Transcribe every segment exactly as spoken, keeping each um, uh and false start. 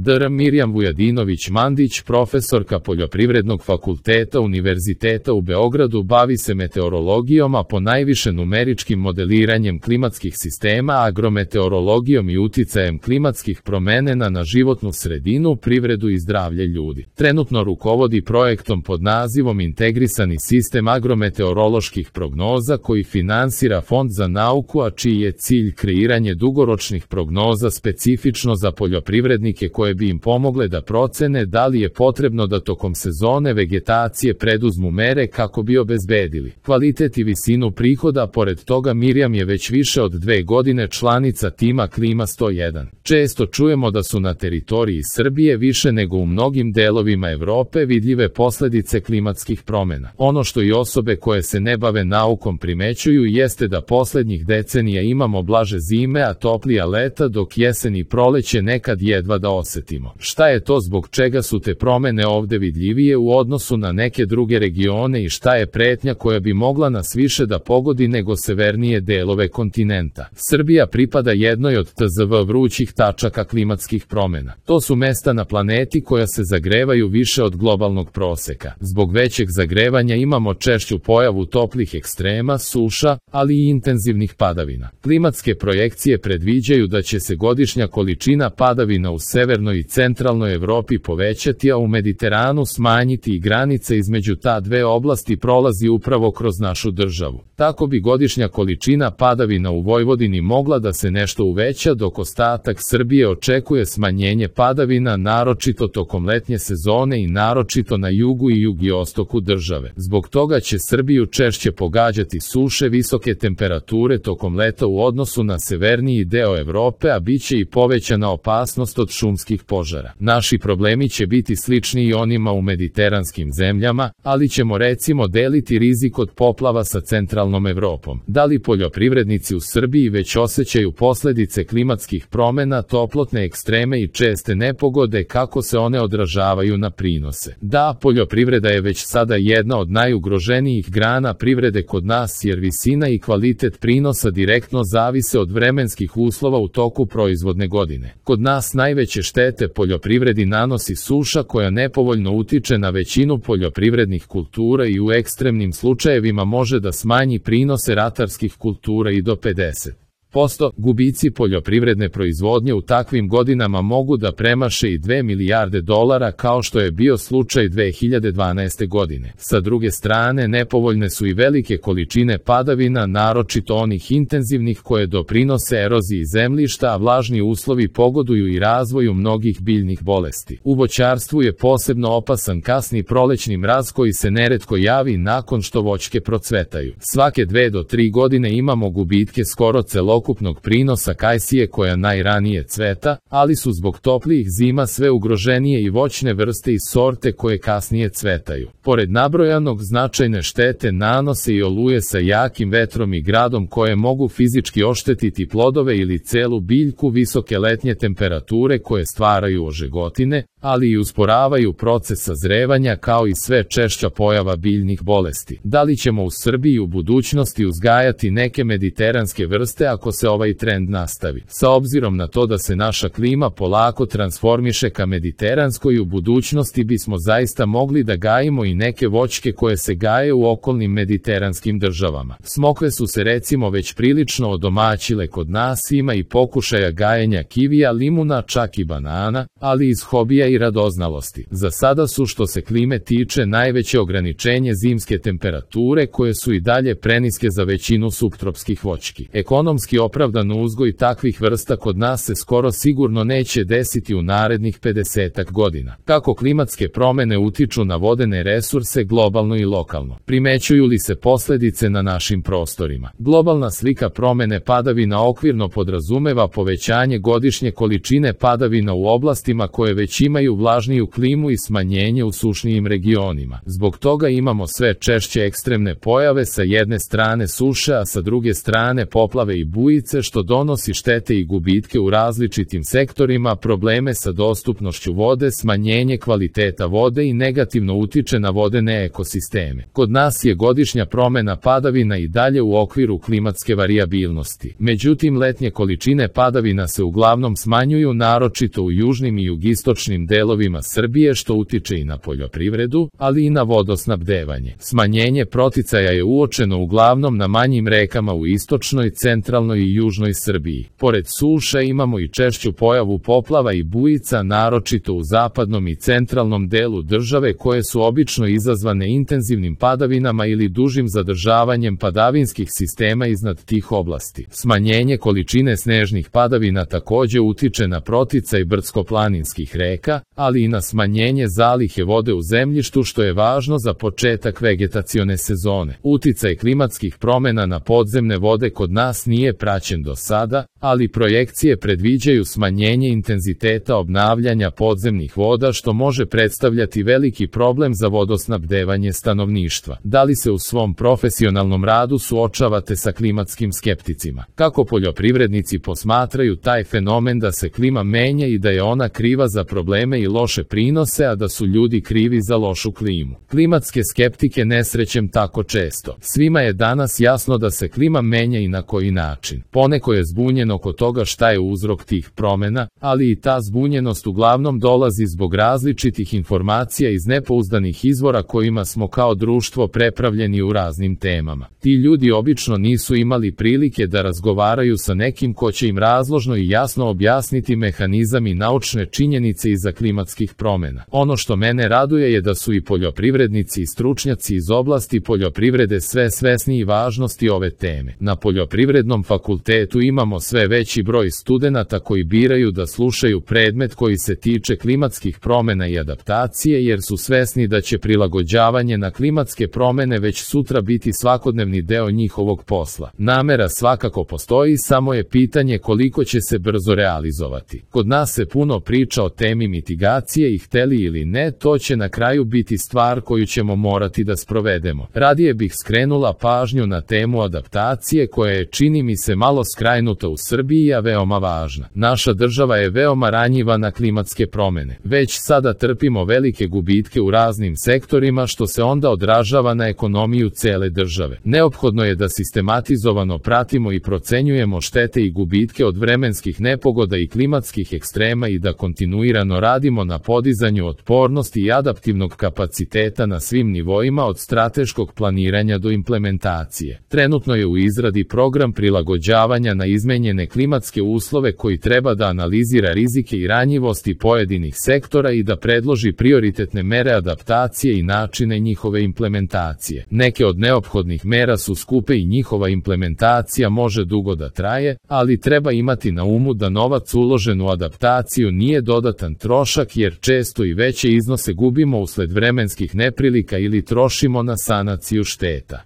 dr Mirjam Vujadinović-Mandić, profesorka Poljoprivrednog fakulteta Univerziteta u Beogradu, bavi se meteorologijom, a ponajviše numeričkim modeliranjem klimatskih sistema, agrometeorologijom i uticajem klimatskih promena na životnu sredinu, privredu i zdravlje ljudi. Trenutno rukovodi projektom pod nazivom Integrisani sistem agrometeoroloških prognoza koji finansira Fond za nauku, a čiji je cilj kreiranje dugoročnih prognoza specifično za poljoprivrednike koje bi im pomogle da procene da li je potrebno da tokom sezone vegetacije preduzmu mere kako bi obezbedili kvalitet i visinu prihoda. Pored toga, Mirjam je već više od dve godine članica tima Klima sto jedan. Često čujemo da su na teritoriji Srbije više nego u mnogim delovima Evrope vidljive posledice klimatskih promena. Ono što i osobe koje se ne bave naukom primećuju jeste da poslednjih decenija imamo blaže zime, a toplija leta, dok jesen i proleće nekad jedva da osetimo. Šta je to zbog čega su te promene ovde vidljivije u odnosu na neke druge regione i šta je pretnja koja bi mogla nas više da pogodi nego severnije delove kontinenta? Srbija pripada jednoj od T Z V vrućih tačaka klimatskih promena. To su mesta na planeti koja se zagrevaju više od globalnog proseka. Zbog većeg zagrevanja imamo češću pojavu toplih ekstrema, suša, ali i intenzivnih padavina. Klimatske projekcije predviđaju da će se godišnja količina padavina u severnoj i centralnoj Evropi povećati, a u Mediteranu smanjiti i granica između ta dve oblasti prolazi upravo kroz našu državu. Tako bi godišnja količina padavina u Vojvodini mogla da se nešto uveća, dok ostatak Srbije očekuje smanjenje padavina, naročito tokom letnje sezone i naročito na jugu i jugiostoku države. Zbog toga će Srbiju češće pogađati suše, visoke temperature tokom leta u odnosu na severniji deo Evrope, a bit će i povećana opasnost od šumskih požara. Naši problemi će biti slični i onima u mediteranskim zemljama, ali ćemo recimo deliti rizik od poplava sa centralnom Evropom. Da li poljoprivrednici u Srbiji već osjećaju posledice klimatskih promena, toplotne ekstreme i česte nepogode, kako se one odražavaju na prinose? Da, poljoprivreda je već sada jedna od najugroženijih grana privrede kod nas, jer visina i kvalitet prinosa direktno zavise od vremenskih uslova u toku proizvodne godine. Kod nas najveće štete poljoprivredi nanosi suša koja nepovoljno utiče na većinu poljoprivrednih kultura i u ekstremnim slučajevima može da smanji prinose ratarskih kultura i do pedeset posto. Gubici poljoprivredne proizvodnje u takvim godinama mogu da premaše i dve milijarde dolara, kao što je bio slučaj dve hiljade dvanaeste. godine. Sa druge strane, nepovoljne su i velike količine padavina, naročito onih intenzivnih koje doprinose eroziji zemljišta, a vlažni uslovi pogoduju i razvoju mnogih biljnih bolesti. U voćarstvu je posebno opasan kasni prolećni mraz koji se neretko javi nakon što voćke procvetaju. Svake dve do tri godine imamo gubitke skoro celog ukupnog prinosa kajsije koja najranije cveta, ali su zbog toplijih zima sve ugroženije i voćne vrste i sorte koje kasnije cvetaju. Pored nabrojanog, značajne štete nanose i oluje sa jakim vetrom i gradom koje mogu fizički oštetiti plodove ili celu biljku, visoke letnje temperature koje stvaraju ožegotine, ali i usporavaju proces sazrevanja, kao i sve češća pojava biljnih bolesti. Da li ćemo u Srbiji u budućnosti uzgajati neke mediteranske vrste ako se ovaj trend nastavi? Sa obzirom na to da se naša klima polako transformiše ka mediteranskoj, u budućnosti bismo zaista mogli da gajimo i neke voćke koje se gaje u okolnim mediteranskim državama. Smokve su se recimo već prilično odomaćile kod nas, ima i pokušaja gajenja kivija, limuna, čak i banana, ali iz hobija i radoznalosti. Za sada su, što se klime tiče, najveće ograničenje zimske temperature koje su i dalje preniske za većinu suptropskih voćki. Ekonomski opravdan uzgoj takvih vrsta kod nas se skoro sigurno neće desiti u narednih pedesetak godina. Kako klimatske promene utiču na vodene resurse globalno i lokalno? Primećuju li se posledice na našim prostorima? Globalna slika promene padavina okvirno podrazumeva povećanje godišnje količine padavina u oblastima koje već imaju vlažniju klimu i smanjenje u sušnijim regionima. Zbog toga imamo sve češće ekstremne pojave, sa jedne strane suše, a sa druge strane poplave i bujice, bujice što donosi štete i gubitke u različitim sektorima, probleme sa dostupnošću vode, smanjenje kvaliteta vode i negativno utiče na vodene ekosisteme. Kod nas je godišnja promena padavina i dalje u okviru klimatske varijabilnosti. Međutim, letnje količine padavina se uglavnom smanjuju, naročito u južnim i jugistočnim delovima Srbije, što utiče i na poljoprivredu, ali i na vodosnabdevanje. Smanjenje proticaja je uočeno uglavnom na manjim rekama u istočnoj, centralnoj i južnoj Srbiji. Pored suša imamo i češću pojavu poplava i bujica, naročito u zapadnom i centralnom delu države, koje su obično izazvane intenzivnim padavinama ili dužim zadržavanjem padavinskih sistema iznad tih oblasti. Smanjenje količine snežnih padavina takođe utiče na proticaj brdsko-planinskih reka, ali i na smanjenje zalihe vode u zemljištu, što je važno za početak vegetacione sezone. Uticaj klimatskih promena na podzemne vode kod nas nije praćen do sada, ali projekcije predviđaju smanjenje intenziteta obnavljanja podzemnih voda, što može predstavljati veliki problem za vodosnabdevanje stanovništva. Da li se u svom profesionalnom radu suočavate sa klimatskim skepticima? Kako poljoprivrednici posmatraju taj fenomen da se klima menja i da je ona kriva za probleme i loše prinose, a da su ljudi krivi za lošu klimu? Klimatske skeptike ne srećem tako često. Svima je danas jasno da se klima menja i na koji način. Poneko je zbunjen oko toga šta je uzrok tih promena, ali i ta zbunjenost uglavnom dolazi zbog različitih informacija iz nepouzdanih izvora kojima smo kao društvo prepravljeni u raznim temama. Ti ljudi obično nisu imali prilike da razgovaraju sa nekim ko će im razložno i jasno objasniti mehanizam i naučne činjenice iza klimatskih promena. Ono što mene raduje je da su i poljoprivrednici i stručnjaci iz oblasti poljoprivrede sve svesniji važnosti ove teme. Na Poljoprivrednom fakultetu imamo sve veći broj studenata koji biraju da slušaju predmet koji se tiče klimatskih promena i adaptacije, jer su svesni da će prilagođavanje na klimatske promene već sutra biti svakodnevni deo njihovog posla. Namera svakako postoji, samo je pitanje koliko će se brzo realizovati. Kod nas se puno priča o temi mitigacije i hteli ili ne, to će na kraju biti stvar koju ćemo morati da sprovedemo. Radije bih skrenula pažnju na temu adaptacije, koja je, čini mi se, malo skrajnuta u Srbiji, a veoma važna. Naša država je veoma ranjiva na klimatske promene. Već sada trpimo velike gubitke u raznim sektorima, što se onda odražava na ekonomiju cele države. Neophodno je da sistematizovano pratimo i procenjujemo štete i gubitke od vremenskih nepogoda i klimatskih ekstrema i da kontinuirano radimo na podizanju otpornosti i adaptivnog kapaciteta na svim nivoima, od strateškog planiranja do implementacije. Trenutno je u izradi program prilagođavanja na izmenjene klimatske uslove koji treba da analizira rizike i ranjivosti pojedinih sektora i da predloži prioritetne mere adaptacije i načine njihove implementacije. Neke od neophodnih mera su skupe i njihova implementacija može dugo da traje, ali treba imati na umu da novac uložen u adaptaciju nije dodatan trošak, jer često i veće iznose gubimo usled vremenskih neprilika ili trošimo na sanaciju šteta.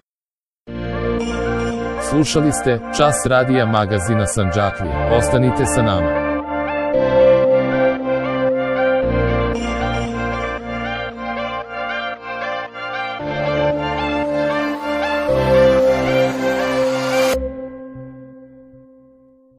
Slušali ste Čas radija magazina Sandžaklija. Ostanite sa nama.